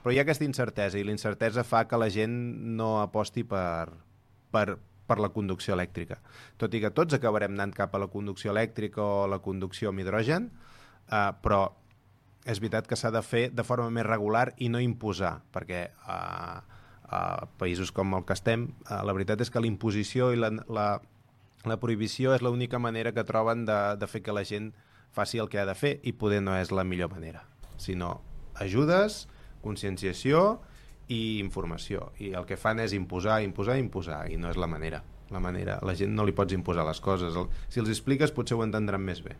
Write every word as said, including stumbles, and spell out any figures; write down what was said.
però hi ha aquesta incertesa, i la incertesa fa que la gent no aposti per, per, per la conducció elèctrica. Tot i que tots acabarem anant cap a la conducció elèctrica o la conducció amb hidrogen, eh, però és veritat que s'ha de fer de forma més regular i no imposar, perquè a uh, països com el que estem, uh, la veritat és que la imposició i la, la, la prohibició és l'única manera que troben de, de fer que la gent faci el que ha de fer, i poder no és la millor manera, sinó ajudes, conscienciació i informació, i el que fan és imposar, imposar, imposar, i no és la manera. La manera, la gent no li pots imposar les coses. Si els expliques potser ho entendran més bé.